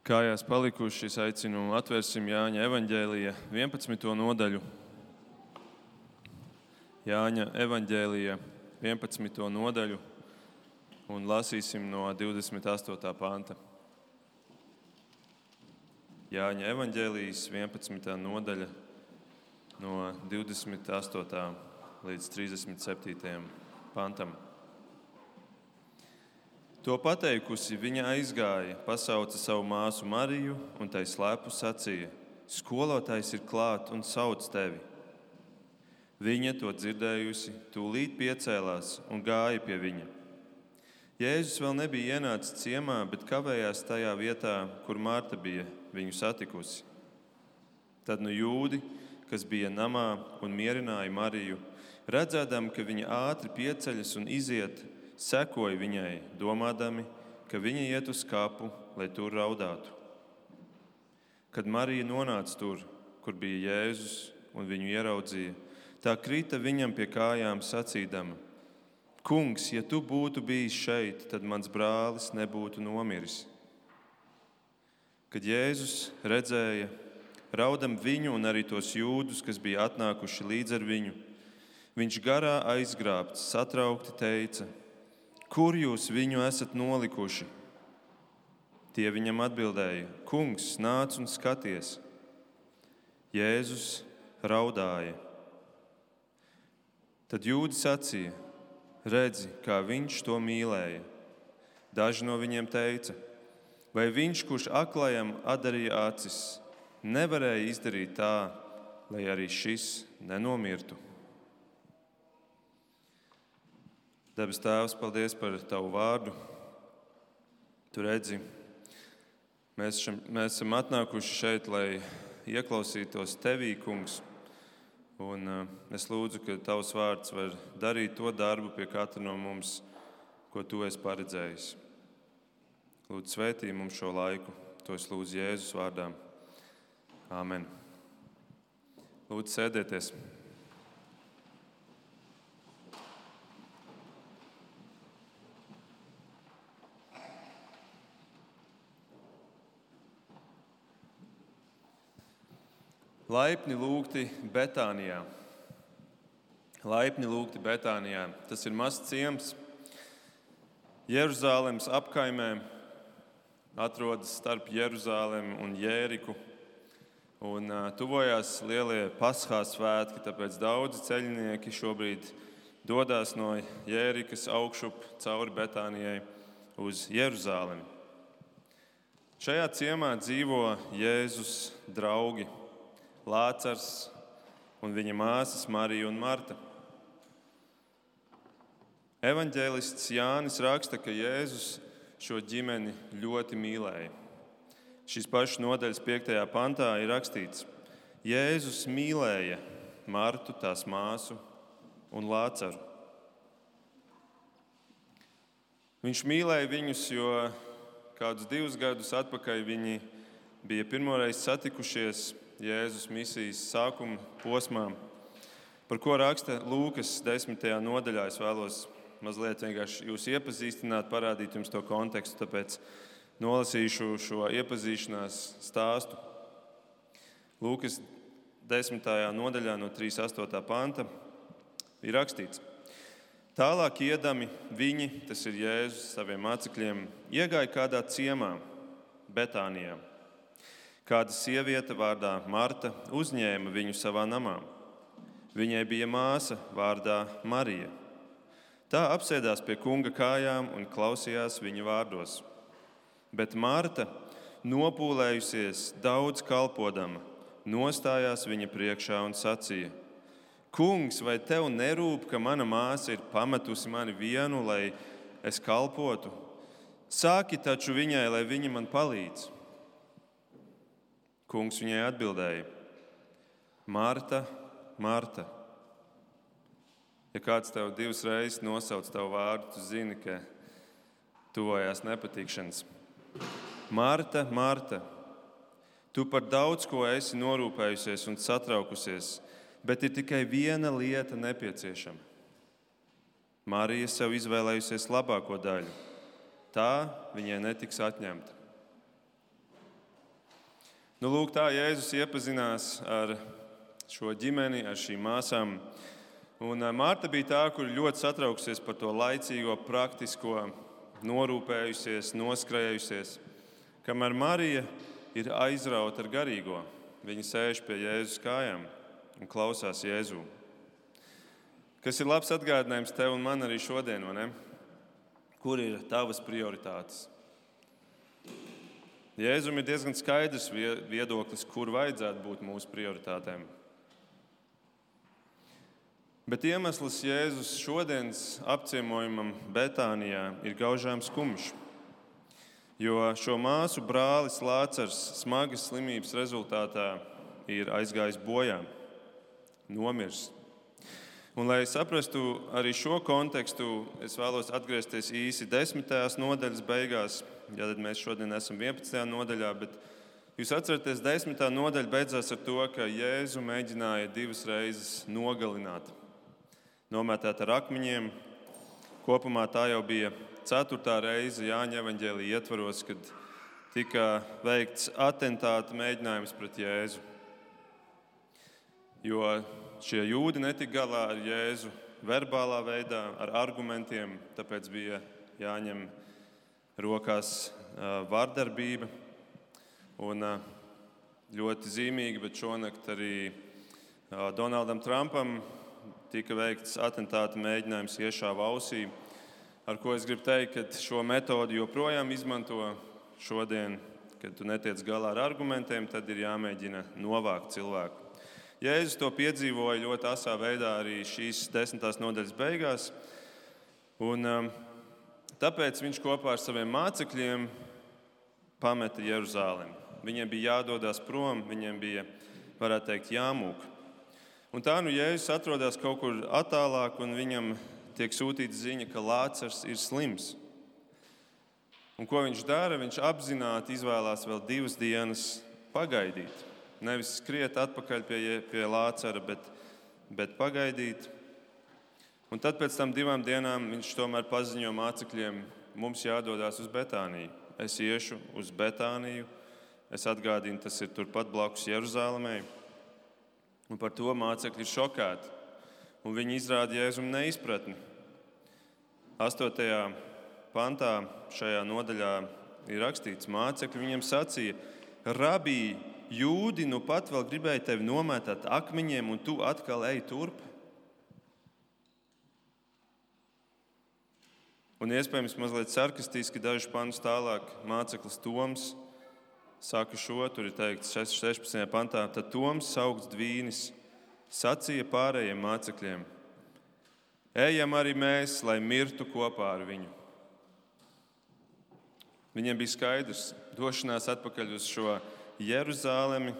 Kājās palikuši, es aicinu atvērsim Jāņa evaņģēlija 11. nodaļu. Jāņa evaņģēlija 11. nodaļu un lasīsim no 28. panta. Jāņa evaņģēlijas 11. nodaļa no 28. līdz 37. pantam. To pateikusi, viņa aizgāja, pasauca savu māsu Mariju un tai slēpu sacīja: Skolotājs ir klāt un sauc tevi. Viņa to dzirdējusi, tūlīt piecēlās un gāja pie viņa. Jēzus vēl nebija ienācis ciemā, bet kavējās tajā vietā, kur Marta bija viņu satikusi. Tad jūdi, kas bija namā un mierināja Mariju, redzēdami, ka viņa ātri pieceļas un iziet, sekoja viņai, domādami, ka viņa iet uz kapu, lai tur raudātu. Kad Marija nonāca tur, kur bija Jēzus, un viņu ieraudzīja, tā krita viņam pie kājām sacīdama: Kungs, ja tu būtu bijis šeit, tad mans brālis nebūtu nomiris. Kad Jēzus redzēja raudam viņu un arī tos jūdus, kas bija atnākuši līdz ar viņu, viņš garā aizgrābts, satraukti teica: Kur jūs viņu esat nolikuši? Tie viņam atbildēja: Kungs, nāc un skaties. Jēzus raudāja. Tad jūdi sacīja: Redzi, kā viņš to mīlēja. Daži no viņiem teica: Vai viņš, kurš aklajam atdarīja acis, nevarēja izdarīt tā, lai arī šis nenomirtu? Debes Tēvs, paldies par Tavu vārdu. Tu redzi, mēs esam atnākuši šeit, lai ieklausītos Tevī, Kungs. Un es lūdzu, ka Tavs vārds var darīt to darbu pie katra no mums, ko Tu esi paredzējis. Lūdzu, svētī mums šo laiku. To es lūdzu Jēzus vārdā. Āmen. Lūdzu, sēdieties. Laipni lūgti Betānijā. Laipni lūgti Betānijā. Tas ir mazs ciems Jeruzālemes apkaimē, atrodas starp Jeruzālemi un Jēriku. Un tuvojās lielie Paskās svētki, tāpēc daudzi ceļnieki šobrīd dodas no Jērikas augšup cauri Betānijai uz Jeruzālemi. Šajā ciemā dzīvo Jēzus draugi Lācars un viņa māsas Marija un Marta. Evaņģēlists Jānis raksta, ka Jēzus šo ģimeni ļoti mīlēja. Šīs pašas nodaļas 5. pantā ir rakstīts: Jēzus mīlēja Martu, tās māsu un Lācaru. Viņš mīlēja viņus, jo kādus 2 gadus atpakaļ viņi bija pirmoreiz satikušies Jēzus misijas sākuma posmā, par ko raksta Lūkas 10. nodaļā. Es vēlos mazliet vienkārši jūs iepazīstināt, parādīt jums to kontekstu, tāpēc nolasīšu šo iepazīšanās stāstu. Lūkas 10. nodaļā no 38. panta ir rakstīts: Tālāk iedami viņi, tas ir Jēzus saviem mācekļiem, iegāja kādā ciemā, Betānijā. Kāda sieviete vārdā Marta uzņēma viņu savā namā. Viņai bija māsa vārdā Marija. Tā apsēdās pie kunga kājām un klausījās viņa vārdos. Bet Marta, nopūlējusies daudz kalpodama, nostājās viņa priekšā un sacīja: Kungs, vai tev nerūp, ka mana māsa ir pametusi mani vienu, lai es kalpotu? Sāki taču viņai, lai viņa man palīdz. Kungs viņai atbildēja: Marta, Marta, ja kāds tev 2 reizes nosauc tavu vārdu, tu zini, ka tuvojās nepatikšanas. Marta, Marta, tu par daudz ko esi norūpējusies un satraukusies, bet ir tikai viena lieta nepieciešama. Marija sev izvēlējusies labāko daļu. Tā viņai netiks atņemta. Lūk, tā Jēzus iepazinās ar šo ģimeni, ar šīm māsām. Un Marta bija tā, kur ļoti satraukusies par to laicīgo, praktisko, norūpējusies, noskrējusies, kamēr Marija ir aizrauta ar garīgo. Viņa sēž pie Jēzus kājām un klausās Jēzu. Kas ir labs atgādinājums tev un man arī šodien, vai ne? Kur ir tavas prioritātes? Jēzum ir diezgan skaidrs viedoklis, kur vajadzētu būt mūsu prioritātēm. Bet iemesls Jēzus šodienas apciemojumam Betānijā ir gaužām skumjš, jo šo māsu brālis Lācars smagas slimības rezultātā ir aizgājis bojā, nomiris. Un, lai saprastu arī šo kontekstu, es vēlos atgriezties īsi 10. nodaļas beigās. Ja tad mēs šodien esam 11. nodaļā, bet jūs atceraties, 10. nodaļa beidzās ar to, ka Jēzu mēģināja 2 reizes nogalināt. Nomētāt ar akmeņiem. Kopumā tā jau bija 4. reize Jāņa evaņģēlija ietvaros, kad tika veikts atentāta mēģinājums pret Jēzu. Jo šie jūdi netika galā ar Jēzu verbālā veidā, ar argumentiem, tāpēc bija jāņem rokās vardarbība. Un ļoti zīmīgi, bet šonakt arī Donaldam Trumpam tika veikts atentāta mēģinājums iešāva ausī, ar ko es gribu teikt, ka šo metodi joprojām izmanto šodien, kad tu netiec galā ar argumentiem, tad ir jāmēģina novākt cilvēku. Jēzus to piedzīvoja ļoti asā veidā arī šīs 10. nodaļas beigās, un tāpēc viņš kopā ar saviem mācekļiem pameta Jeruzalemi. Viņiem bija jādodas prom, viņiem bija, varētu teikt, jāmūk. Un tā Jēzus atrodas kaut kur attālāk, un viņam tiek sūtīta ziņa, ka Lācars ir slims. Un ko viņš dara? Viņš apzināti izvēlās vēl 2 dienas pagaidīt. Nevis skriet atpakaļ pie Lācara, bet pagaidīt. Un tad pēc tam 2 dienām viņš tomēr paziņo mācekļiem, mums jādodas uz Betāniju. Es iešu uz Betāniju. Es atgādinu, tas ir turpat blakus Jeruzalemei. Un par to mācekļi ir šokēti. Un viņi izrāda Jēzum neizpratni. 8. pantā šajā nodaļā ir rakstīts, mācekļi viņiem sacīja, Rabī, jūdi nu pat vēl gribēja tevi nomētāt akmeņiem, un tu atkal ej turp? Un iespējams mazliet sarkastiski dažus pantus tālāk māceklis Toms saka šo, tur ir teikts 16. pantā, tad Toms saukts Dvīnis sacīja pārējiem mācekļiem, ejam arī mēs, lai mirtu kopā ar viņu. Viņiem bija skaidrs, došanās atpakaļ uz šo Jeruzalemi,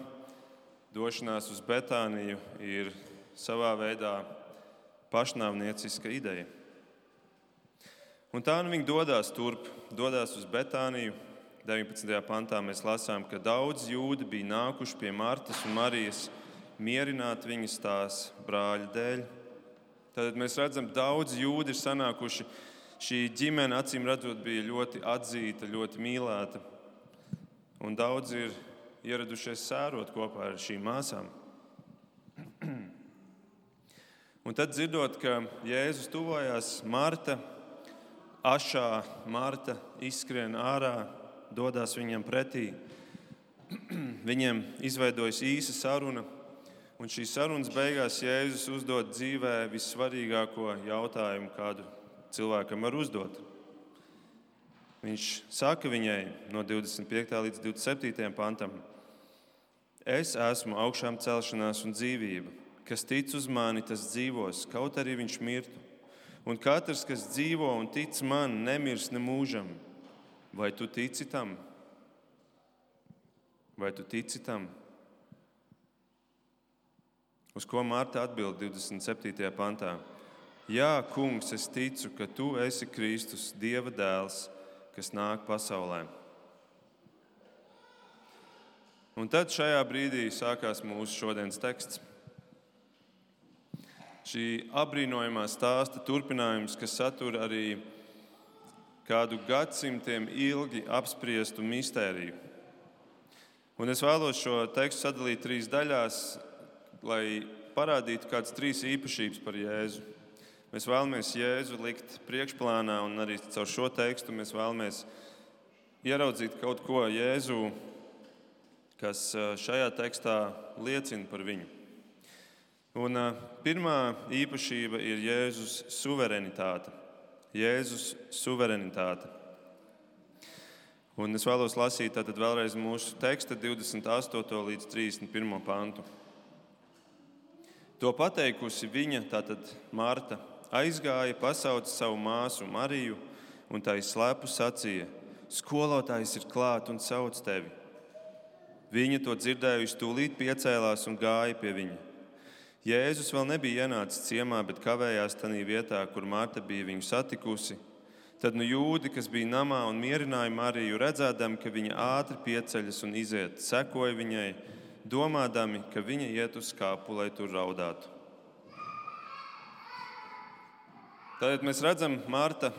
došanās uz Betāniju ir savā veidā pašnāvnieciska ideja. Un tā viņi dodas turp, dodas uz Betāniju. 19. pantā mēs lasām, ka daudz jūdi bija nākuši pie Martas un Marijas mierināt viņas tās brāļa dēļ. Tad mēs redzam, daudz jūdi ir sanākuši. Šī ģimene, acīm redzot, bija ļoti atzīta, ļoti mīlēta. Un daudz ir ieradušies sērot kopā ar šīm māsām. Un tad dzirdot, ka Jēzus tuvojās, Marta izskrien ārā, dodas viņam pretī. Viņiem izveidojas īsa saruna, un šīs sarunas beigās Jēzus uzdod dzīvē vissvarīgāko jautājumu, kādu cilvēkam var uzdot. Viņš saka viņai no 25. līdz 27. pantam, es esmu augšām celšanās un dzīvība, kas tic uz mani, tas dzīvos, kaut arī viņš mirtu. Un katrs, kas dzīvo un tic man, nemirs nemūžam. Vai tu tici tam? Vai tu tici tam? Uz ko Marta atbild 27. pantā? Jā, kungs, es ticu, ka tu esi Kristus, Dieva dēls, kas nāk pasaulē. Un tad šajā brīdī sākās mūsu šodienas teksts. Šī apbrīnojamā stāsta turpinājums, kas satur arī kādu gadsimtiem ilgi apspriestu mistēriju. Un es vēlos šo tekstu sadalīt 3 daļās, lai parādītu kādas 3 īpašības par Jēzu. Mēs vēlamies Jēzu likt priekšplānā, un arī caur šo tekstu mēs vēlamies ieraudzīt kaut ko Jēzu, kas šajā tekstā liecina par viņu. Un pirmā īpašība ir Jēzus suverenitāte. Jēzus suverenitāte. Un es vēlos lasīt tātad vēlreiz mūsu teksta 28. līdz 31. pantu. To pateikusi viņa, tātad Marta, aizgāja, pasauca savu māsu Mariju un tai slepu sacīja: Skolotājs ir klāt un sauc tevi. Viņa to dzirdējusi, tūlīt piecēlās un gāja pie viņa. Jēzus vēl nebija ienācis ciemā, bet kavējās tanī vietā, kur Marta bija viņu satikusi. Tad jūdi, kas bija namā un mierināja Mariju, redzēdami, ka viņa ātri pieceļas un iziet, sekoja viņai, domādami, ka viņa iet uz skāpu, lai tur raudātu. Tad mēs redzam, Marta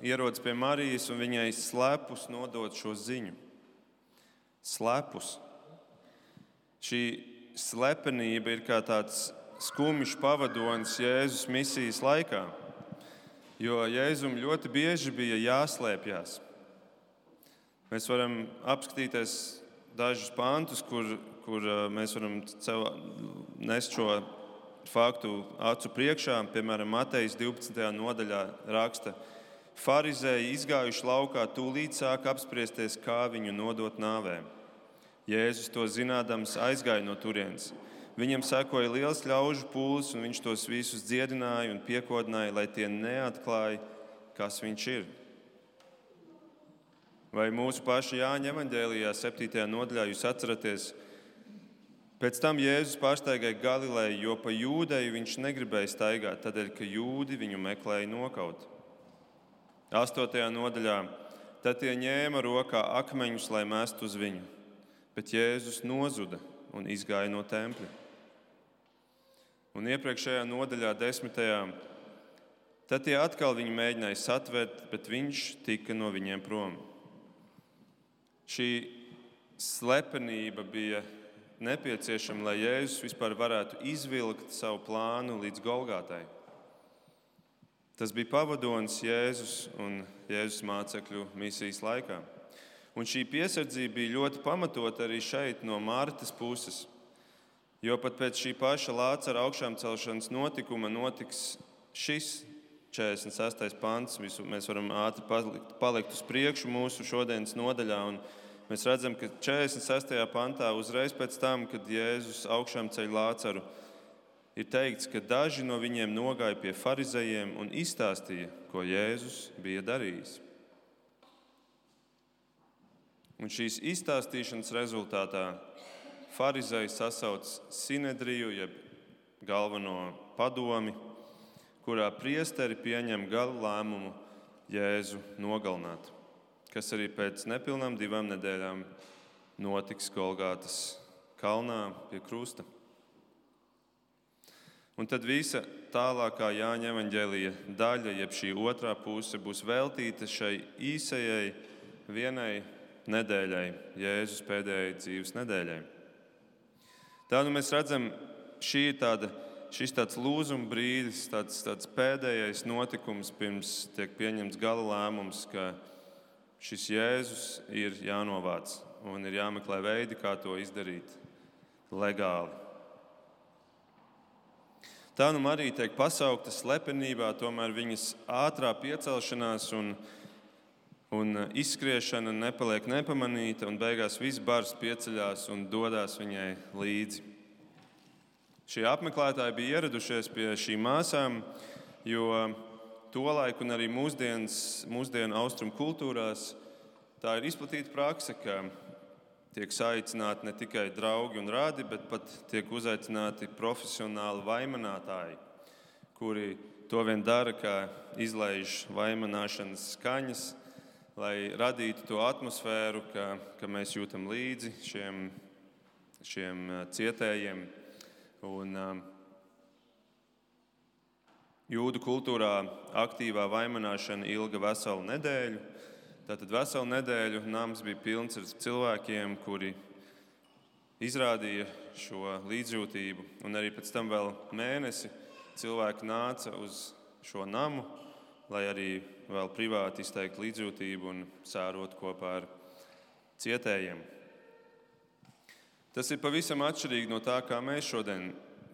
ierodas pie Marijas un viņai slepus nodot šo ziņu. Slepus. Šī slepenība ir kā tāds skumjš pavadonis Jēzus misijas laikā, jo Jēzum ļoti bieži bija jāslēpjas. Mēs varam apskatīties dažus pantus, kur mēs varam nest šo faktu acu priekšā. Piemēram, Matejas 12. nodaļā raksta: Farizēji izgājuši laukā, tūlīt sāka apspriesties, kā viņu nodot nāvē. Jēzus to zinādams aizgāja no turienes. Viņam sekoja liels ļaužu pūlis, un viņš tos visus dziedināja un piekodināja, lai tie neatklāja, kas viņš ir. Vai mūsu paša Jāņa evaņģēlijā 7. nodaļā jūs atceraties? Pēc tam Jēzus pārsteigāja Galileju, jo pa Jūdeju viņš negribēja staigāt, tādēļ, ka jūdi viņu meklēja nokaut. 8. nodaļā: Tad tie ņēma rokā akmeņus, lai mestu uz viņu, bet Jēzus nozuda un izgāja no tempļa. Un iepriekšējā nodaļā 10. Tad tie atkal viņu mēģināja satvert, bet viņš tika no viņiem prom. Šī slepenība bija nepieciešama, lai Jēzus vispār varētu izvilkt savu plānu līdz Golgātai. Tas bija pavadonis Jēzus un Jēzus mācekļu misijas laikā. Un šī piesardzība bija ļoti pamatota arī šeit no Martas puses. Jo pat pēc šī paša Lācara augšām celšanas notikuma notiks šis 46. pants. Mēs varam ātri palikt uz priekšu mūsu šodienas nodaļā. Un mēs redzam, ka 46. pantā uzreiz pēc tam, kad Jēzus augšām ceļ Lācaru, ir teikts, ka daži no viņiem nogāja pie farizejiem un izstāstīja, ko Jēzus bija darījis. Un šīs izstāstīšanas rezultātā farizēji sasauc sinedriju, jeb galveno padomi, kurā priesteri pieņem gala lēmumu Jēzu nogalināt, kas arī pēc nepilnām 2 nedēļām notiks Golgātas kalnā pie krusta. Un tad visa tālākā Jāņa evaņģēlija daļa, jeb šī otrā puse, būs veltīta šai īsajai vienai nedēļai, Jēzus pēdējai dzīves nedēļai. Tā mēs redzam, šis tāds lūzuma brīdis, tāds pēdējais notikums pirms tiek pieņemts gala lēmums, ka šis Jēzus ir jānovāc un ir jāmeklē veidi, kā to izdarīt legāli. Tā Marija tiek pasaukta slepenībā, tomēr viņas ātrā piecelšanās un izskriešana nepaliek nepamanīta, un beigās viss bars pieceļās un dodās viņai līdzi. Šie apmeklētāji bija ieradušies pie šīm māsām, jo tolaik un arī mūsdienu austrumu kultūrās tā ir izplatīta prakse, ka tiek saicināti ne tikai draugi un radi, bet pat tiek uzaicināti profesionāli vaimanātāji, kuri to vien dara, kā izlaiž vaimanāšanas skaņas, lai radītu to atmosfēru, ka mēs jūtam līdzi šiem cietējiem. Un jūdu kultūrā aktīvā vaimanāšana ilga veselu nedēļu. Tātad veselu nedēļu nams bija pilns ar cilvēkiem, kuri izrādīja šo līdzjūtību, un arī pēc tam vēl mēnesi cilvēki nāca uz šo namu, lai arī vēl privāti izteikt līdzjūtību un sērot kopā ar cietējiem. Tas ir pavisam atšķirīgi no tā, kā mēs šodien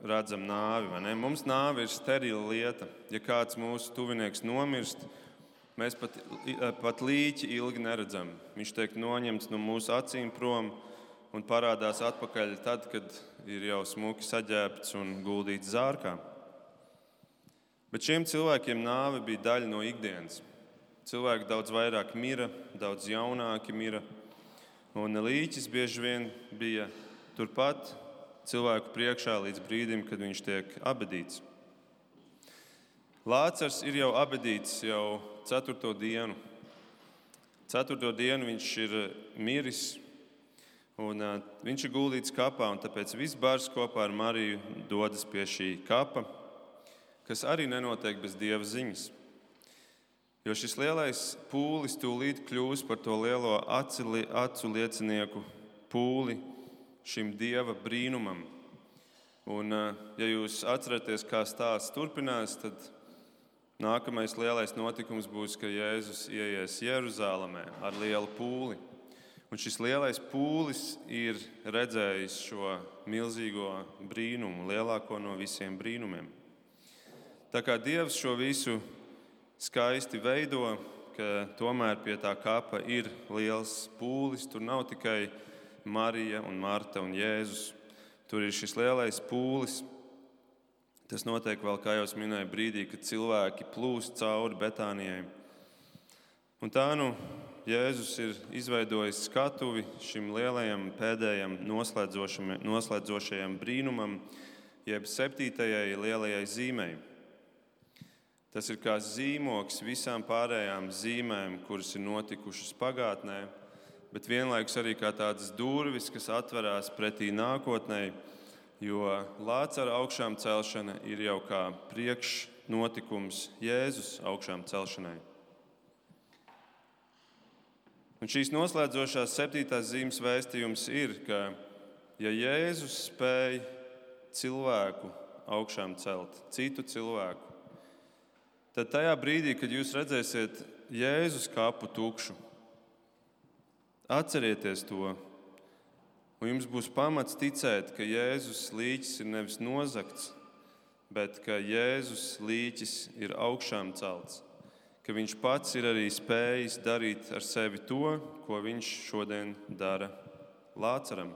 redzam nāvi, vai ne? Mums nāve ir sterila lieta. Ja kāds mūsu tuvinieks nomirst, mēs pat līķi ilgi neredzam. Viņš tiek noņemts no mūsu acīm prom un parādās atpakaļ tad, kad ir jau smuki saģērbts un guldīts zārkā. Bet šiem cilvēkiem nāve bija daļa no ikdienas. Cilvēki daudz vairāk mira, daudz jaunāki mira, un līķis bieži vien bija turpat cilvēku priekšā līdz brīdim, kad viņš tiek abedīts. Lācars ir jau abedīts jau 4. dienu. 4. dienu viņš ir miris, un viņš ir guldīts kapā, un tāpēc viss bars kopā ar Mariju dodas pie šī kapa, kas arī nenotiek bez Dieva ziņas. Jo šis lielais pūlis tūlīt kļūs par to lielo acu liecinieku pūli šim Dieva brīnumam. Un, ja jūs atceraties, kā stāsts turpinās, tad nākamais lielais notikums būs, ka Jēzus ieies Jeruzālēmē ar lielu pūli. Un šis lielais pūlis ir redzējis šo milzīgo brīnumu, lielāko no visiem brīnumiem. Tā kā Dievs šo visu skaisti veido, ka tomēr pie tā kapa ir liels pūlis, tur nav tikai Marija un Marta un Jēzus. Tur ir šis lielais pūlis. Tas notiek vēl, kā jau minēju, brīdī, kad cilvēki plūst cauri Betānijai. Un tā Jēzus ir izveidojis skatuvi šim lielajam pēdējam noslēdzošajam brīnumam, jeb 7. lielajai zīmei. Tas ir kā zīmoks visām pārējām zīmēm, kuras ir notikušas pagātnē, bet vienlaikus arī kā tādas durvis, kas atverās pretī nākotnē, jo Lācara augšām celšana ir jau kā priekšnotikums Jēzus augšām celšanai. Un šīs noslēdzošās 7. zīmes vēstījums ir, ka ja Jēzus spēj cilvēku augšām celt, citu cilvēku, tad tajā brīdī, kad jūs redzēsiet Jēzus kapu tukšu, atcerieties to, un jums būs pamats ticēt, ka Jēzus līķis ir nevis nozagts, bet ka Jēzus līķis ir augšām celts, ka viņš pats ir arī spējis darīt ar sevi to, ko viņš šodien dara Lācaram.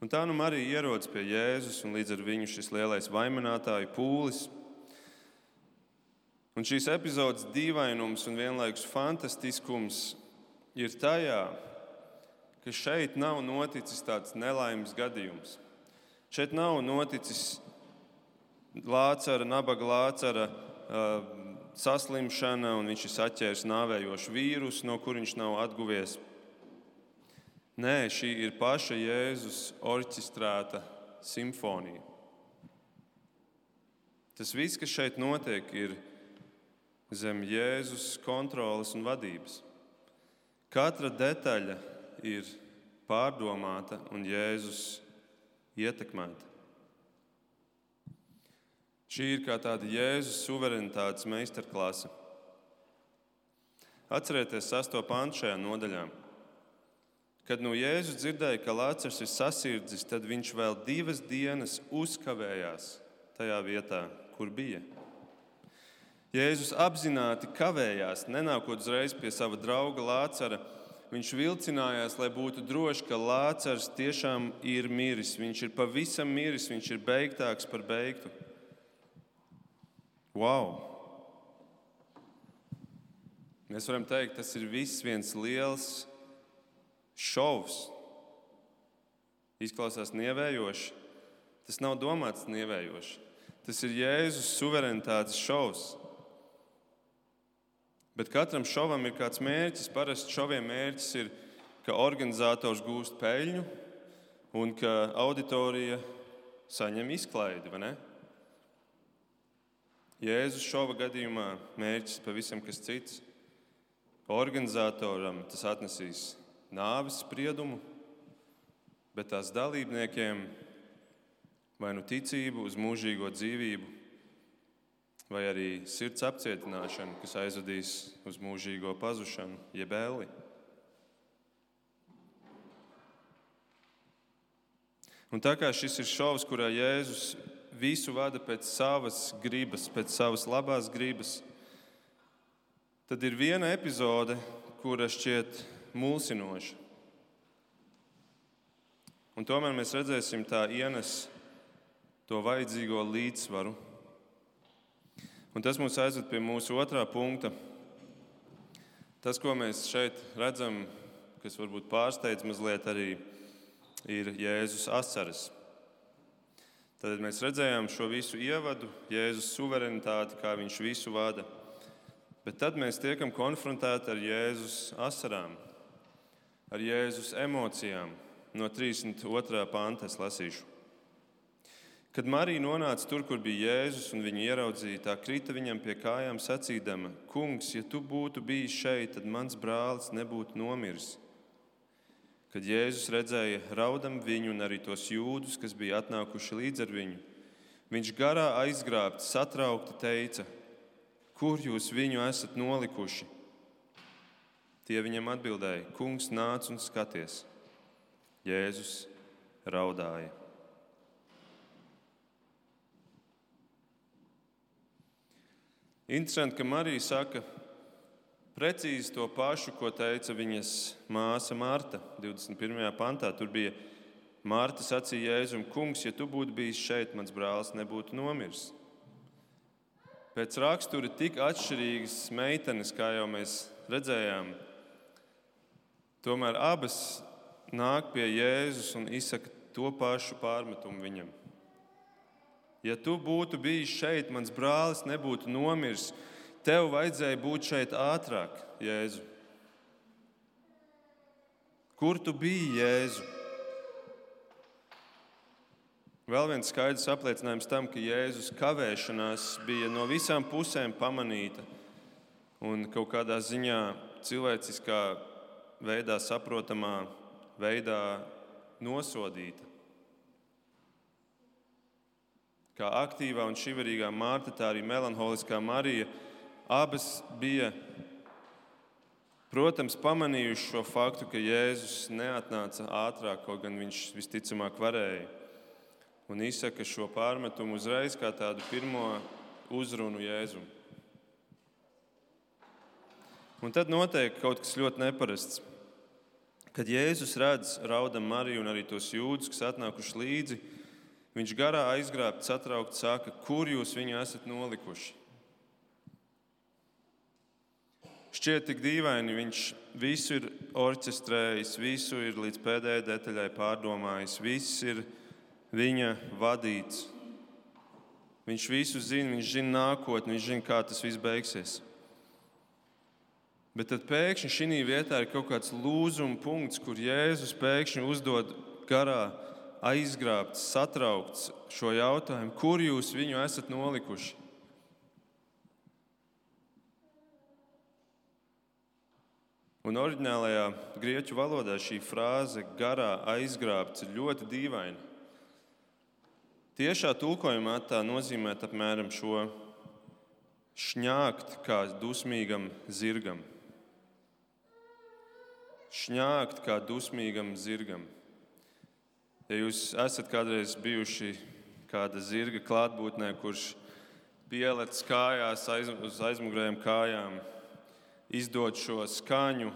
Un tā Marija ierodas pie Jēzus, un līdz ar viņu šis lielais vainotāju pūlis. Un šīs epizodes dīvainums un vienlaikus fantastiskums ir tajā, ka šeit nav noticis tāds nelaimes gadījums. Šeit nav noticis nabaga Lācara saslimšana, un viņš ir saķēris nāvējošu vīrusu, no kur viņš nav atguvies. Nē, šī ir paša Jēzus orķestrēta simfonija. Tas viss, kas šeit notiek, ir zem Jēzus kontroles un vadības. Katra detaļa ir pārdomāta un Jēzus ietekmēta. Šī ir kā tāda Jēzus suverenitātes meistarklase. Atcerieties 6. pantu šajā nodaļā. Kad Jēzus dzirdēja, ka Lācars ir sasirdzis, tad viņš vēl 2 dienas uzkavējās tajā vietā, kur bija. Jēzus apzināti kavējās, nenākot uzreiz pie sava drauga Lācara. Viņš vilcinājās, lai būtu droši, ka Lācars tiešām ir miris. Viņš ir pavisam miris, viņš ir beigtāks par beigtu. Wow! Mēs varam teikt, tas ir viss viens liels šovs. Izklausās nievējoši. Tas nav domāts nievējoši. Tas ir Jēzus suverenitātes šovs. Bet katram šovam ir kāds mērķis. Parasti šoviem mērķis ir, ka organizators gūst peļņu un ka auditorija saņem izklaidi, vai ne? Jēzus šova gadījumā mērķis pavisam kas cits. Organizatoram tas atnesīs nāves spriedumu, bet tās dalībniekiem vai nu ticību uz mūžīgo dzīvību, vai arī sirds apcietināšanu, kas aizvedīs uz mūžīgo pazušanu, jeb elli. Un tā kā šis ir šovs, kurā Jēzus visu vada pēc savas gribas, pēc savas labās gribas, tad ir viena epizode, kura šķiet mulsinoša. Un tomēr mēs redzēsim, tā ienes to vajadzīgo līdzsvaru. Un tas mūs aizved pie mūsu otrā punkta. Tas, ko mēs šeit redzam, kas varbūt pārsteidz mazliet arī, ir Jēzus asaras. Tad mēs redzējām šo visu ievadu, Jēzus suverenitāti, kā viņš visu vada. Bet tad mēs tiekam konfrontēti ar Jēzus asarām, ar Jēzus emocijām. No 32. panta es lasīšu. Kad Marija nonāca tur, kur bija Jēzus, un viņu ieraudzīja, tā krita viņam pie kājām sacīdama: Kungs, ja tu būtu bijis šeit, tad mans brālis nebūtu nomiris. Kad Jēzus redzēja raudam viņu un arī tos jūdus, kas bija atnākuši līdz ar viņu, viņš garā aizgrābts, satraukti teica: Kur jūs viņu esat nolikuši? Tie viņam atbildēja: Kungs, nāc un skaties. Jēzus raudāja. Interesanti, ka Marija saka precīzi to pašu, ko teica viņas māsa Marta 21. pantā. Tur bija Marta sacīja Jēzum: Kungs, ja tu būtu bijis šeit, mans brālis nebūtu nomiris. Pēc rakstura tik atšķirīgas meitenes, kā jau mēs redzējām, tomēr abas nāk pie Jēzus un izsaka to pašu pārmetumu viņam. Ja tu būtu bijis šeit, mans brālis nebūtu nomiris. Tev vajadzēja būt šeit ātrāk, Jēzu. Kur tu biji, Jēzu? Vēl viens skaidrs apliecinājums tam, ka Jēzus kavēšanās bija no visām pusēm pamanīta un kaut kādā ziņā cilvēciskā veidā, saprotamā veidā nosodīta. Kā aktīvā un šiverīgā Marta, tā arī melanholiskā Marija, abas bija, protams, pamanījuši šo faktu, ka Jēzus neatnāca ātrāk, kaut gan viņš visticamāk varēja. Un izsaka šo pārmetumu uzreiz kā tādu pirmo uzrunu Jēzum. Un tad notiek kaut kas ļoti neparasts. Kad Jēzus redz raudam Mariju un arī tos jūdus, kas atnākuši līdzi, viņš garā aizgrābts, satraukts saka: Kur jūs viņu esat nolikuši? Šķiet tik dīvaini, viņš visu ir orķestrējis, visu ir līdz pēdējai detaļai pārdomājis, viss ir viņa vadīts. Viņš visu zina, viņš zina nākotni, viņš zina, kā tas viss beigsies. Bet tad pēkšņi šī vietā ir kaut kāds lūzuma punkts, kur Jēzus pēkšņi uzdod garā aizgrābts, satraukts šo jautājumu: Kur jūs viņu esat nolikuši? Un oriģinālajā grieķu valodā šī frāze garā aizgrābts ir ļoti dīvaina. Tiešā tulkojumā tā nozīmē apmēram šo: šņākt kā dusmīgam zirgam. Šņākt kā dusmīgam zirgam. Ja jūs esat kādreiz bijuši kāda zirga klātbūtnē, kurš pielec kājās uz aizmugurējām kājām, izdod šo skaņu,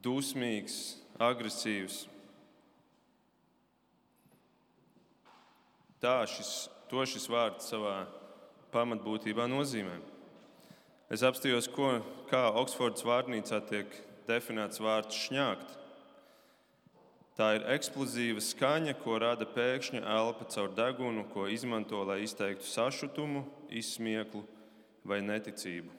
dusmīgs, agresīvs. To šis vārds savā pamatbūtībā nozīmē. Es apstājos, kā Oksfordas vārnīcā tiek definēts vārds šņākt. Tā ir eksplozīva skaņa, ko rada pēkšņa elpa caur degunu, ko izmanto, lai izteiktu sašutumu, izsmieklu vai neticību.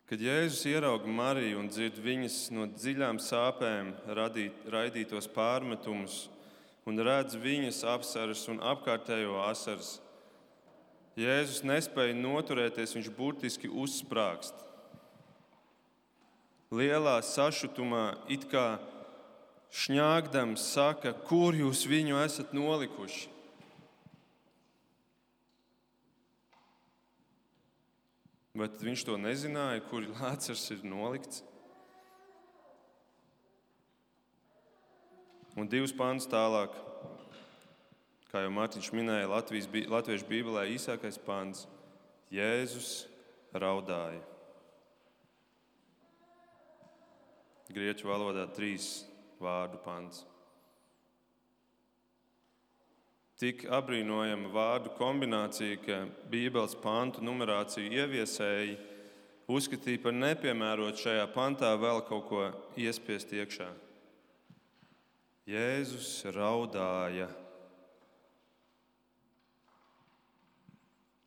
Kad Jēzus ierauga Mariju un dzird viņas no dziļām sāpēm raidītos pārmetumus un redz viņas apsaras un apkārtējo asaras, Jēzus nespēja noturēties, viņš burtiski uzsprāgst. Lielā sašutumā, it kā šņāgdams, saka, kur jūs viņu esat nolikuši? Bet viņš to nezināja, kur Lācars ir nolikts. Un 2 pantus tālāk, kā jau Mārtiņš minēja, Latviešu Bībelē īsākais pants – Jēzus raudāja. Grieķu valodā 3 vārdu pants. Tik apbrīnojama vārdu kombinācija, ka Bībeles pantu numerāciju ieviesēji uzskatīja par nepiemērotu šajā pantā vēl kaut ko iespiest iekšā. Jēzus raudāja.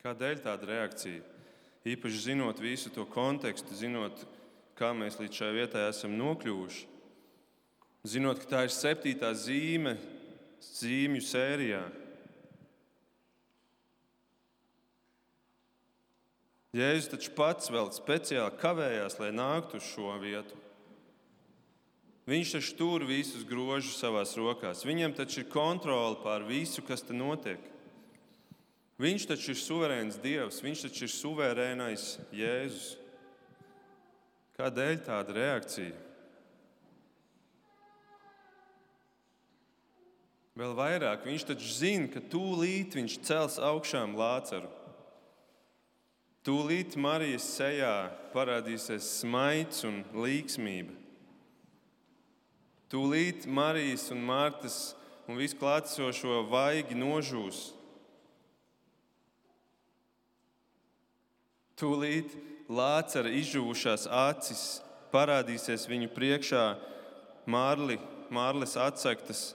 Kādēļ tāda reakcija? Īpaši zinot visu to kontekstu, zinot, kā mēs līdz šai vietai esam nokļuvuši, zinot, ka tā ir 7. zīme zīmju sērijā. Jēzus taču pats vēl speciāli kavējās, lai nāktu uz šo vietu. Viņš taču tur visus grožus savās rokās. Viņam taču ir kontrole pār visu, kas te notiek. Viņš taču ir suverēns Dievs, viņš taču ir suverēnais Jēzus. Kādēļ tāda reakcija? Vēl vairāk, viņš taču zina, ka tūlīt viņš cels augšām Lācaru. Tūlīt Marijas sejā parādīsies smaids un līgsmība. Tūlīt Marijas un Martas un visu klātesošo vaigi nožūs. Tūlīt Lācara izžuvušās acis parādīsies viņu priekšā mārles atsegtas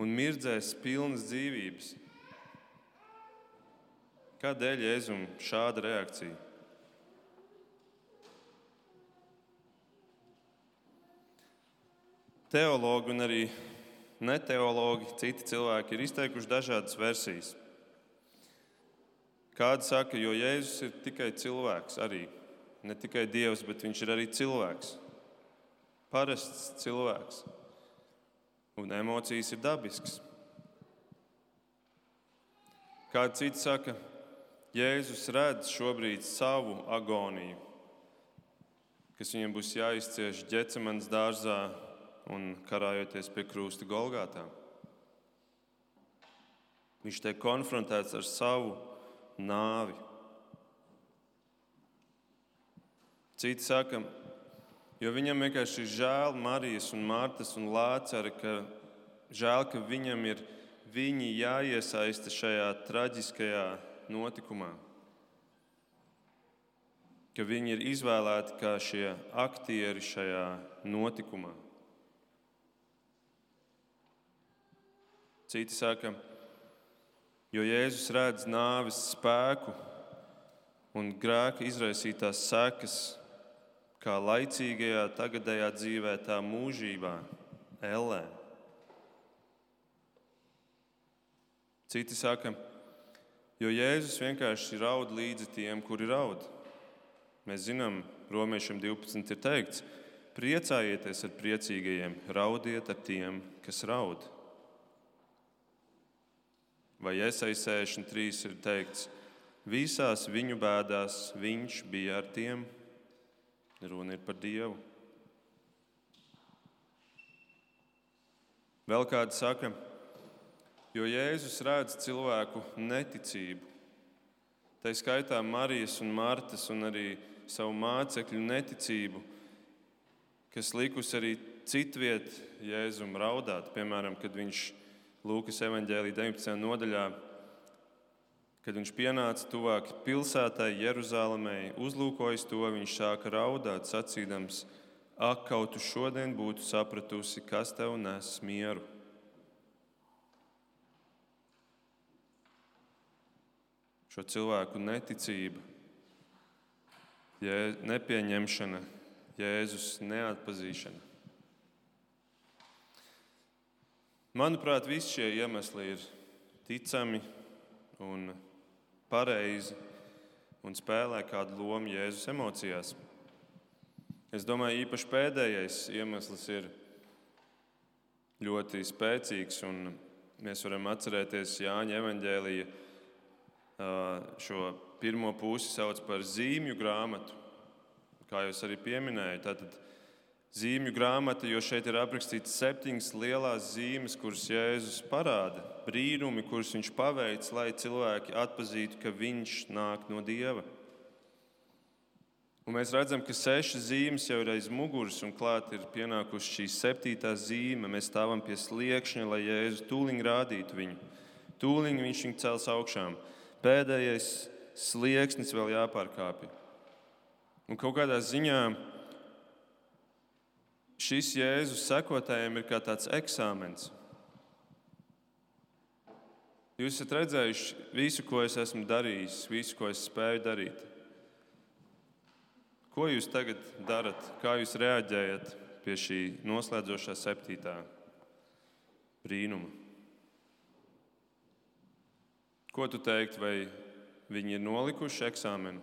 un mirdzēs pilnas dzīvības. Kādēļ Jēzum šāda reakcija? Teologi un arī neteologi, citi cilvēki ir izteikuši dažādas versijas. Kādi saka, jo Jēzus ir tikai cilvēks arī. Ne tikai Dievs, bet viņš ir arī cilvēks. Parasts cilvēks. Un emocijas ir dabiskas. Kādi citi saka, Jēzus redz šobrīd savu agoniju, kas viņam būs jāizcieš Ģecemanes dārzā un karājoties pie krusta Golgātā. Viņš tiek konfrontēts ar savu nāvi. Citi saka, jo viņam vienkārši ir žēl Marijas un Martas un Lācara, ka žēl, ka viņam ir viņi jāiesaista šajā traģiskajā notikumā. Ka viņi ir izvēlēti kā šie aktieri šajā notikumā. Citi saka, jo Jēzus redz nāves spēku un grēka izraisītās sekas, kā laicīgajā tagadējā dzīvē, tā mūžībā, ellē. Citi saka, jo Jēzus vienkārši raud līdzi tiem, kuri raud. Mēs zinām, Romiešiem 12 ir teikts, priecājieties ar priecīgajiem, raudiet ar tiem, kas raud. Vai Jesaja 63 ir teikts, visās viņu bēdās viņš bija ar tiem. Runa ir par Dievu. Vēl kādi saka, jo Jēzus redz cilvēku neticību, tā skaitā Marijas un Martas un arī savu mācekļu neticību, kas likusi arī citviet Jēzum raudāt. Piemēram, kad viņš Lūkas evaņģēlija 19. nodaļā, kad viņš pienāca tuvāk pilsētai Jeruzālēmei, uzlūkojis to, viņš sāka raudāt, sacīdams, ak, kaut tu šodien būtu sapratusi, kas tev nes mieru. Šo cilvēku neticība, nepieņemšana, Jēzus neatpazīšana. Manuprāt, visi šie iemesli ir ticami un pareizi un spēlē kādu lomu Jēzus emocijās. Es domāju, īpaši pēdējais iemesls ir ļoti spēcīgs, un mēs varam atcerēties Jāņa evaņģēlija šo pirmo pusi sauc par zīmju grāmatu, kā jūs arī pieminējāt. Tātad zīmju grāmata, jo šeit ir aprakstīts 7 lielās zīmes, kuras Jēzus parāda, brīnumi, kurus viņš paveic, lai cilvēki atpazītu, ka viņš nāk no Dieva. Un mēs redzam, ka 6 zīmes jau ir aiz muguras, un klāt ir pienākusi šī 7. zīme. Mēs stāvam pie sliekšņa, lai Jēzus tūliņ rādītu viņu. Tūliņ viņš viņu cels augšām. Pēdējais slieksnis vēl jāpārkāpj. Un kaut kādā ziņā šis Jēzus sekotājiem ir kā tāds eksāmens. Jūs esat redzējuši visu, ko es esmu darījis, visu, ko es spēju darīt. Ko jūs tagad darat? Kā jūs reaģējat pie šī noslēdzošā 7. brīnuma? Ko tu teikt, vai viņi ir nolikuši eksāmenu?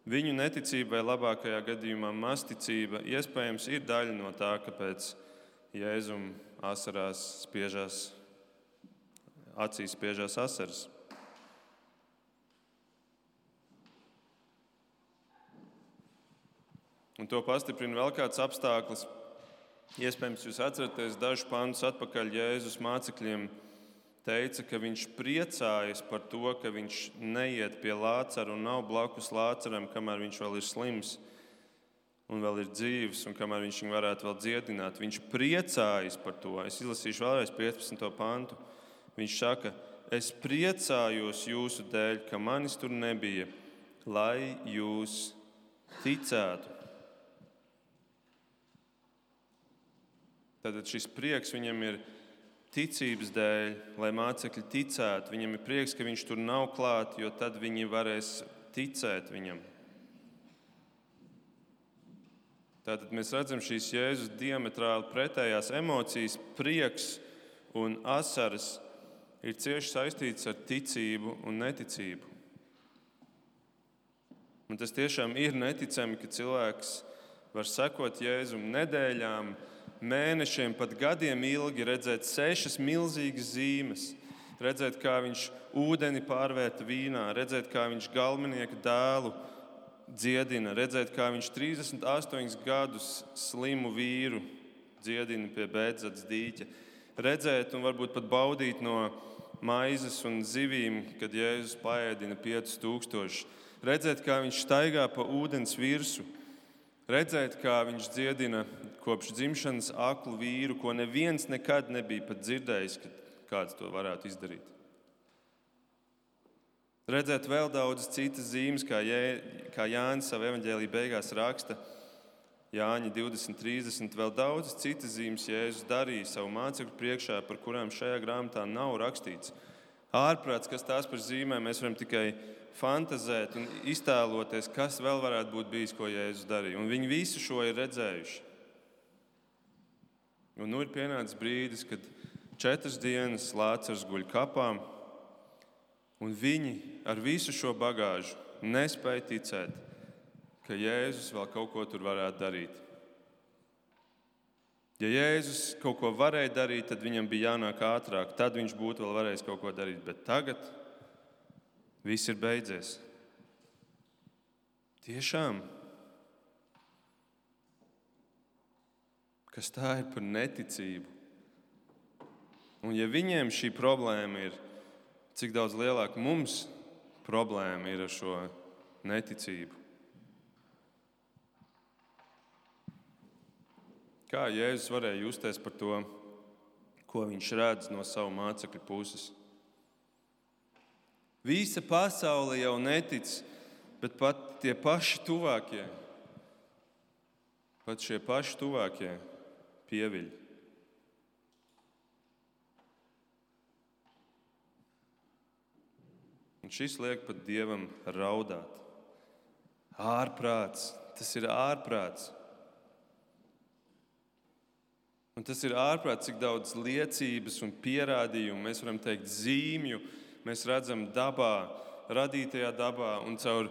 Viņu neticība vai labākajā gadījumā mazticība iespējams ir daļa no tā, kāpēc Jēzum acīs spiežās asaras. Un to pastiprina vēl kāds apstākļus. Iespējams, jūs atceraties dažus pantus atpakaļ Jēzus mācekļiem teica, ka viņš priecājas par to, ka viņš neiet pie Lācara un nav blakus Lācaram, kamēr viņš vēl ir slims un vēl ir dzīvs, un kamēr viņš viņu varētu vēl dziedināt. Viņš priecājas par to. Es izlasīšu vēlreiz 15. pantu. Viņš saka, es priecājos jūsu dēļ, ka manis tur nebija, lai jūs ticētu. Tātad šis prieks viņam ir ticības dēļ, lai mācekļi ticētu. Viņam ir prieks, ka viņš tur nav klāt, jo tad viņi varēs ticēt viņam. Tātad mēs redzam šīs Jēzus diametrāli pretējās emocijas. Prieks un asaras ir cieši saistīts ar ticību un neticību. Un tas tiešām ir neticami, ka cilvēks var sekot Jēzum nedēļām, mēnešiem, pat gadiem ilgi, redzēt 6 milzīgas zīmes, redzēt, kā viņš ūdeni pārvērta vīnā, redzēt, kā viņš galvenieka dēlu dziedina, redzēt, kā viņš 38 gadus slimu vīru dziedina pie Bēdzats dīķa, redzēt un varbūt pat baudīt no maizes un zivīm, kad Jēzus paēdina 5000, redzēt, kā viņš staigā pa ūdens virsu, redzēt, kā viņš dziedina kopš dzimšanas aklu vīru, ko neviens nekad nebija pat dzirdējis, ka kāds to varētu izdarīt. Redzēt vēl daudzas citas zīmes, kā Jānis savā evaņģēlija beigās raksta, Jāņa 20:30, vēl daudzas citas zīmes Jēzus darīja savu mācekļu priekšā, par kurām šajā grāmatā nav rakstīts. Ārprāts, kas tās par zīmēm, mēs varam tikai fantazēt un iztēloties, kas vēl varētu būt bijis, ko Jēzus darīja. Un viņi visu šo ir redzējuši. Un nu ir pienācis brīdis, kad 4 dienas Lācars guļ kapā, un viņi ar visu šo bagāžu nespēja ticēt, ka Jēzus vēl kaut ko tur varētu darīt. Ja Jēzus kaut ko varēja darīt, tad viņam bija jānāk ātrāk, tad viņš būtu vēl varējis kaut ko darīt, bet tagad viss ir beidzies. Tiešām. Kas tā ir par neticību? Un ja viņiem šī problēma ir, cik daudz lielāka mums problēma ir ar šo neticību? Kā Jēzus varēja justies par to, ko viņš redz no savu mācekļu puses? Visa pasaule jau netic, bet pat tie paši tuvākie, pieviļ. Un šis liek pat Dievam raudāt. Ārprāts, tas ir ārprāts. Un tas ir ārprāt, cik daudz liecības un pierādījumu, mēs varam teikt zīmju, mēs redzam dabā, radītajā dabā un caur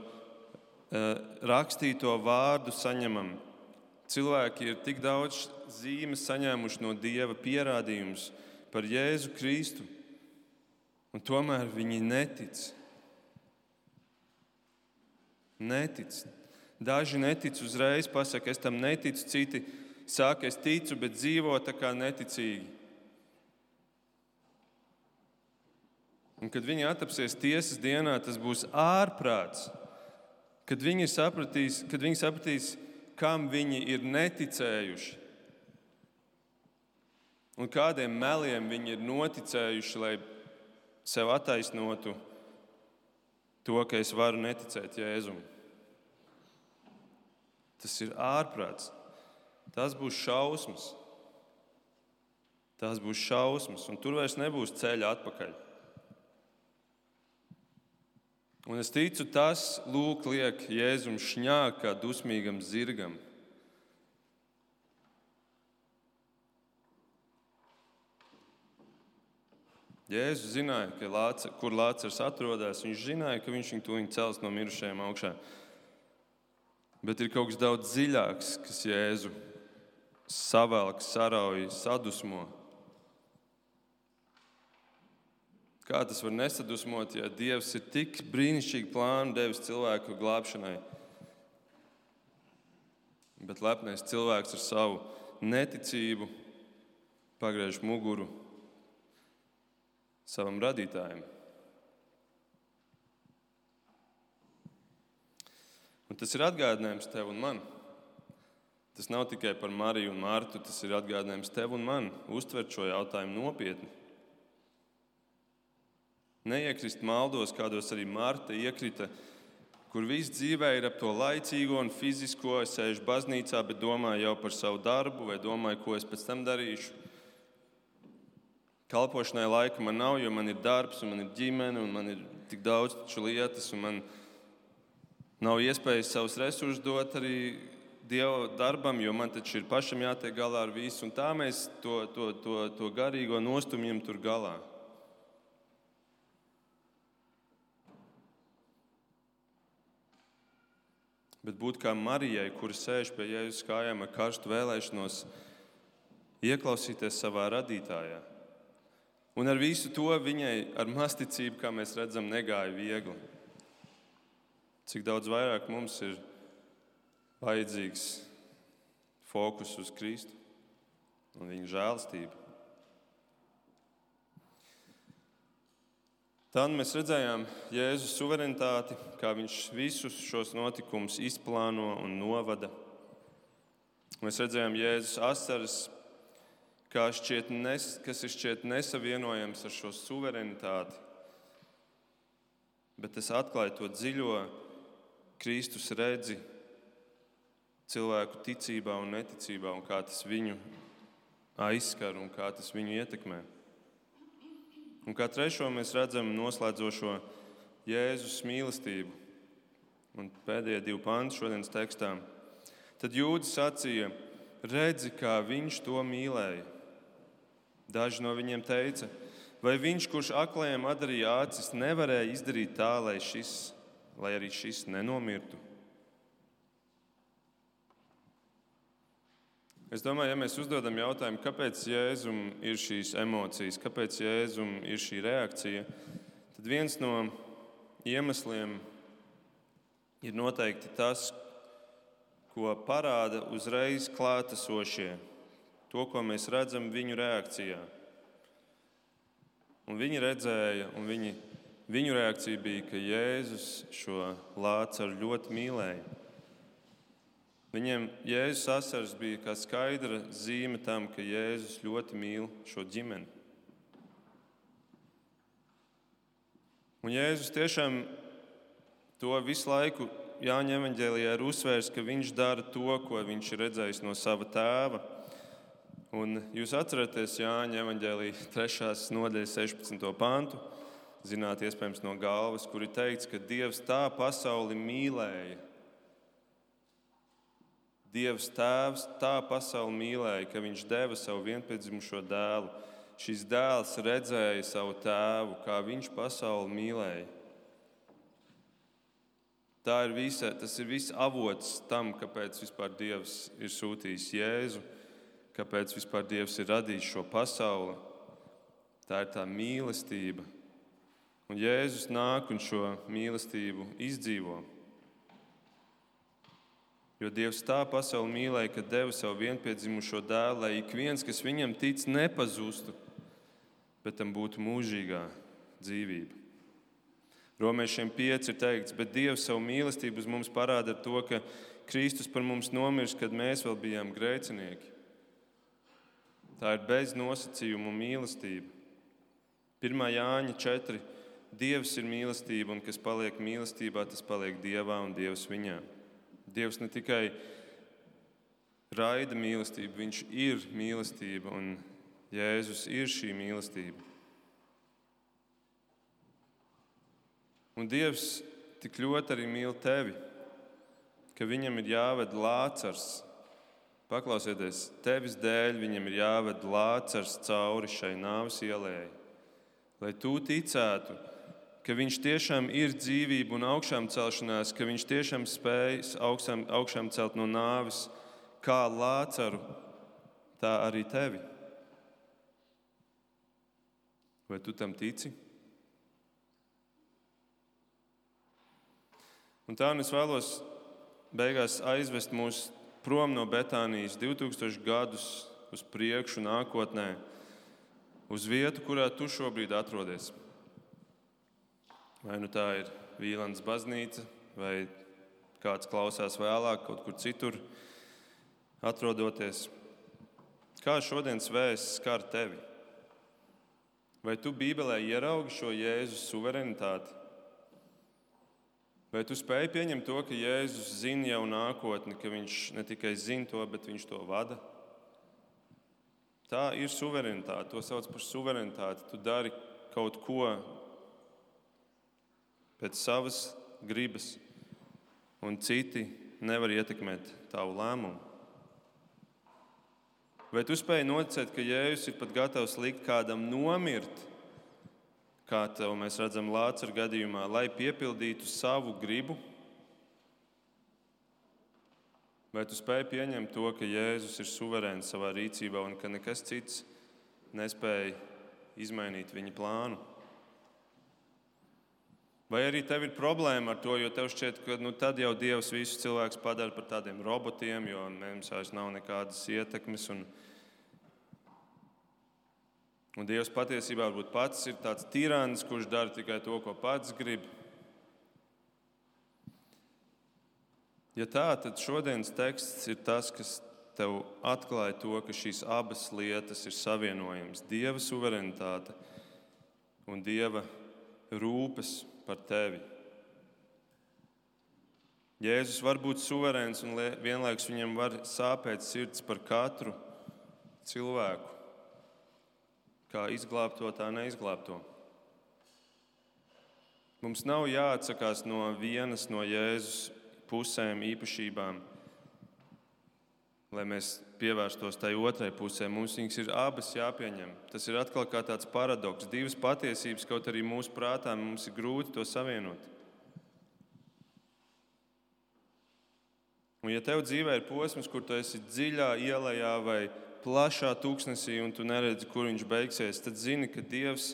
rakstīto vārdu saņemam. Cilvēki ir tik daudz zīmes saņēmuši no Dieva pierādījumus par Jēzu Kristu, un tomēr viņi netic. Netic. Daži netic uzreiz, pasaka, es tam neticu, citi saka, es ticu, bet dzīvo tā kā neticīgi. Un kad viņi attapsies tiesas dienā, tas būs ārprāts. Kad viņi sapratīs, kam viņi ir neticējuši un kādiem meliem viņi ir noticējuši, lai sev attaisnotu to, ka es varu neticēt Jēzum. Tas ir ārprāts. Tas būs šausmas. Tas būs šausmas, un tur vairs nebūs ceļa atpakaļ. Un es ticu, tas lūk liek Jēzum šņākt kā dusmīgam zirgam. Jēzus zināja, kur Lācars atrodas. Viņš zināja, ka viņš viņu tūlīt cels no mirušajiem augšā. Bet ir kaut kas daudz dziļāks, kas Jēzu savelk, sarauj, sadusmo. Kā tas var nesadusmot, ja Dievs ir tik brīnišķīgi plānu devis cilvēku glābšanai? Bet lepnais cilvēks ar savu neticību pagriež muguru savam radītājam. Un tas ir atgādinājums tev un man. Tas nav tikai par Mariju un Martu, tas ir atgādinājums tev un man uztvert šo jautājumu nopietni. Neiekrist maldos, kādos arī Marta iekrita, kur viss dzīvē ir ap to laicīgo un fizisko. Es sēžu baznīcā, bet domāju jau par savu darbu vai domāju, ko es pēc tam darīšu. Kalpošanai laika man nav, jo man ir darbs un man ir ģimene un man ir tik daudz lietas un man nav iespējas savus resursus dot arī Dieva darbam, jo man taču ir pašam jātiek galā ar visu. Un tā mēs to garīgo nostumjam tur galā. Bet būt kā Marijai, kura sēž pie Jēzus kājām ar karstu vēlēšanos ieklausīties savā radītājā. Un ar visu to viņai ar masticību, kā mēs redzam, negāja viegli. Cik daudz vairāk mums ir vajadzīgs fokus uz Kristu un viņa žēlastību. Tad mēs redzējām Jēzus suverenitāti, kā viņš visus šos notikumus izplāno un novada. Mēs redzējām Jēzus asaras, kas ir šķiet nesavienojams ar šo suverenitāti. Bet tas atklāja to dziļo Kristus redzi cilvēku ticībā un neticībā, un kā tas viņu aizskar un kā tas viņu ietekmē. Un kā trešo mēs redzam noslēdzošo Jēzus mīlestību. Un pēdējie 2 panti šodienas tekstā. Tad jūdi sacīja, redzi, kā viņš to mīlēja. Daži no viņiem teica, vai viņš, kurš aklajiem atdarīja acis, nevarēja izdarīt tā, lai arī šis nenomirtu? Es domāju, ja mēs uzdodam jautājumu, kāpēc Jēzum ir šīs emocijas, kāpēc Jēzum ir šī reakcija, tad viens no iemesliem ir noteikti tas, ko parāda uzreiz klātesošie, to, ko mēs redzam viņu reakcijā. Un viņi redzēja, un viņu reakcija bija, ka Jēzus šo Lācaru ļoti mīlēja. Viņiem Jēzus asaras bija kā skaidra zīme tam, ka Jēzus ļoti mīl šo ģimeni. Un Jēzus tiešām to visu laiku Jāņa evaņģēlijā ir uzsvērs, ka viņš dara to, ko viņš ir redzējis no sava tēva. Un jūs atceraties Jāņa evaņģēlija 3. nodaļas 16. pantu, zināt iespējams no galvas, kur ir teikts, ka Dievs tā pasauli mīlēja. Dievs Tēvs tā pasauli mīlēja, ka viņš deva savu vienpiedzimušo dēlu. Šis dēls redzēja savu tēvu, kā viņš pasauli mīlēja. Tas ir viss avots tam, kāpēc vispār Dievs ir sūtījis Jēzu, kāpēc vispār Dievs ir radījis šo pasauli. Tā ir tā mīlestība. Un Jēzus nāk un šo mīlestību izdzīvo. Jo Dievs tā pasauli mīlēja, ka deva savu vienpiedzimušo dēlu, lai ik viens, kas viņam tic, nepazustu, bet tam būtu mūžīgā dzīvība. Romiešiem 5 ir teikts, bet Dievs savu mīlestību uz mums parāda ar to, ka Kristus par mums nomirst, kad mēs vēl bijām grēcinieki. Tā ir bez nosacījumu mīlestība. 1. Jāņa 4. Dievs ir mīlestība, un kas paliek mīlestībā, tas paliek Dievā un Dievs viņā. Dievs ne tikai raida mīlestību, viņš ir mīlestība, un Jēzus ir šī mīlestība. Un Dievs tik ļoti arī mīl tevi, ka viņam ir jāved Lācars. Paklausieties, tevis dēļ viņam ir jāved Lācars cauri šai nāves ielai, lai tu ticētu, ka viņš tiešām ir dzīvība un augšām celšanās, ka viņš tiešām spēj augšām celt no nāves, kā Lācaru, tā arī tevi. Vai tu tam tici? Un tā es vēlos beigās aizvest mūs prom no Betānijas 2000 gadus uz priekšu nākotnē, uz vietu, kurā tu šobrīd atrodies. Vai nu tā ir Vīlandes baznīca, vai kāds klausās vēlāk kaut kur citur atrodoties. Kā šodienas vēsts skar tevi? Vai tu Bībelē ieraugi šo Jēzus suverenitāti? Vai tu spēj pieņemt to, ka Jēzus zina jau nākotni, ka viņš ne tikai zina to, bet viņš to vada? Tā ir suverenitāte, to sauc par suverenitāti. Tu dari kaut ko pēc savas gribas, un citi nevar ietekmēt tavu lēmumu. Vai tu spēj noticēt, ka Jēzus ir pat gatavs likt kādam nomirt, kā tev mēs redzam Lācara gadījumā, lai piepildītu savu gribu? Vai tu spēj pieņemt to, ka Jēzus ir suverēns savā rīcībā un ka nekas cits nespēja izmainīt viņa plānu? Vai arī tev ir problēma ar to, jo tev šķiet, ka tad jau Dievs visus cilvēkus padara par tādiem robotiem, jo mums vairs nav nekādas ietekmes un Dievs patiesībā varbūt pats ir tāds tirāns, kurš dara tikai to, ko pats grib. Ja tā, tad šodienas teksts ir tas, kas tev atklāja to, ka šīs abas lietas ir savienojamas. Dieva suverenitāte un Dieva rūpes par tevi. Jēzus var būt suverēns un vienlaikus viņam var sāpēt sirds par katru cilvēku. Kā izglābto, tā neizglābto. Mums nav jāatsakās no vienas no Jēzus pusēm, īpašībām, lai mēs pievērstos tai otrai pusē. Mums viņas ir abas jāpieņem. Tas ir atkal kā tāds paradoks. Divas patiesības, kaut arī mūsu prātā mums ir grūti to savienot. Un ja tev dzīvē ir posms, kur tu esi dziļā ielejā vai plašā tūkstnesī un tu neredzi, kur viņš beigsies, tad zini, ka Dievs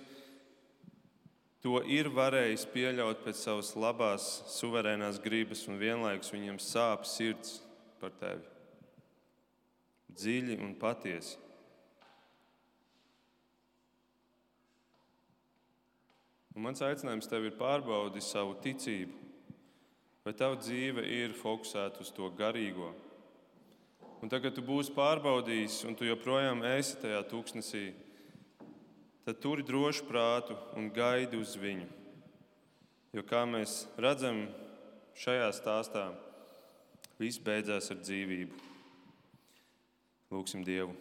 to ir varējis pieļaut pēc savas labās, suverēnās gribas un vienlaikus viņam sāp sirds par tevi. Dziļi un patiesi. Un mans aicinājums tev ir pārbaudi savu ticību. Vai tava dzīve ir fokusēta uz to garīgo? Un tagad, kad tu būsi pārbaudījis un tu joprojām esi tajā tūkstnesī, tad turi drošu prātu un gaidi uz viņu. Jo, kā mēs redzam šajā stāstā, viss beidzās ar dzīvību. Lūksim Dievu.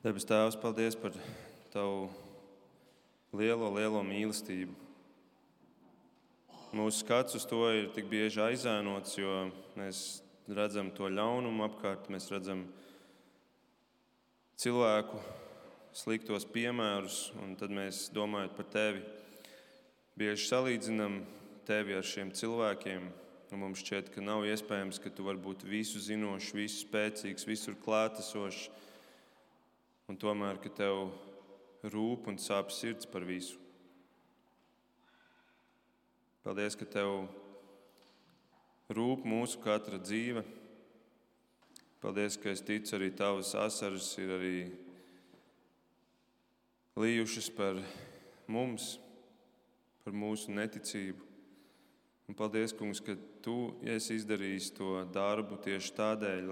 Debes Tēvs, paldies par Tavu lielo mīlestību. mūsu skats uz to ir tik bieži aizēnots, jo mēs redzam to ļaunumu apkārt, mēs redzam cilvēku sliktos piemērus, un tad mēs, domājot par tevi, bieži salīdzinam tevi ar šiem cilvēkiem, un mums šķiet, ka nav iespējams, ka tu vari būt visu zinošs, visu spēcīgs, visur klātesošs, un tomēr, ka tev rūp un sāp sirds par visu. Paldies, ka tev rūp mūsu katra dzīve. Paldies, ka es ticu, arī tavas asaras ir arī lījušas par mums, par mūsu neticību. Un paldies, Kungs, ka tu esi izdarījis to darbu tieši tādēļ,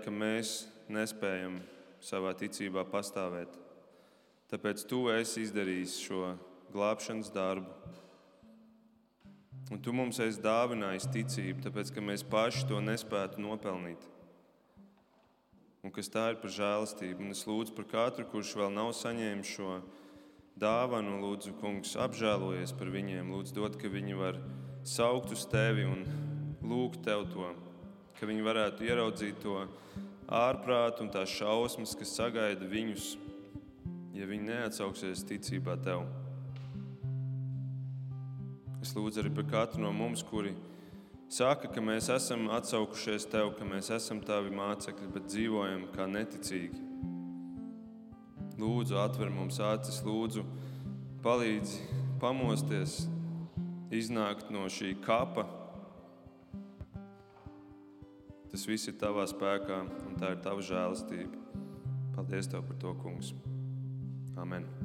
ka mēs nespējam savā ticībā pastāvēt. Tāpēc tu esi izdarījis šo glābšanas darbu. Un tu mums esi dāvinājis ticību, tāpēc, ka mēs paši to nespētu nopelnīt. Un kas tā ir par žēlastību. Un es lūdzu par katru, kurš vēl nav saņēmis šo dāvanu, lūdzu, Kungs, apžēlojies par viņiem. Lūdzu, dod, ka viņi var saukt uz tevi un lūgt tev to. Ka viņi varētu ieraudzīt to ārprātu un tās šausmas, kas sagaida viņus, ja viņi neatsauksies ticībā tev. Es lūdzu arī par katru no mums, kuri saka, ka mēs esam atsaukušies tev, ka mēs esam tavi mācekļi, bet dzīvojam kā neticīgi. Lūdzu, atver mums acis, lūdzu, palīdzi pamosties, iznākt no šī kapa. Tas viss ir tavā spēkā, un tā ir tava žēlastība. Paldies tev par to, Kungs. Amen.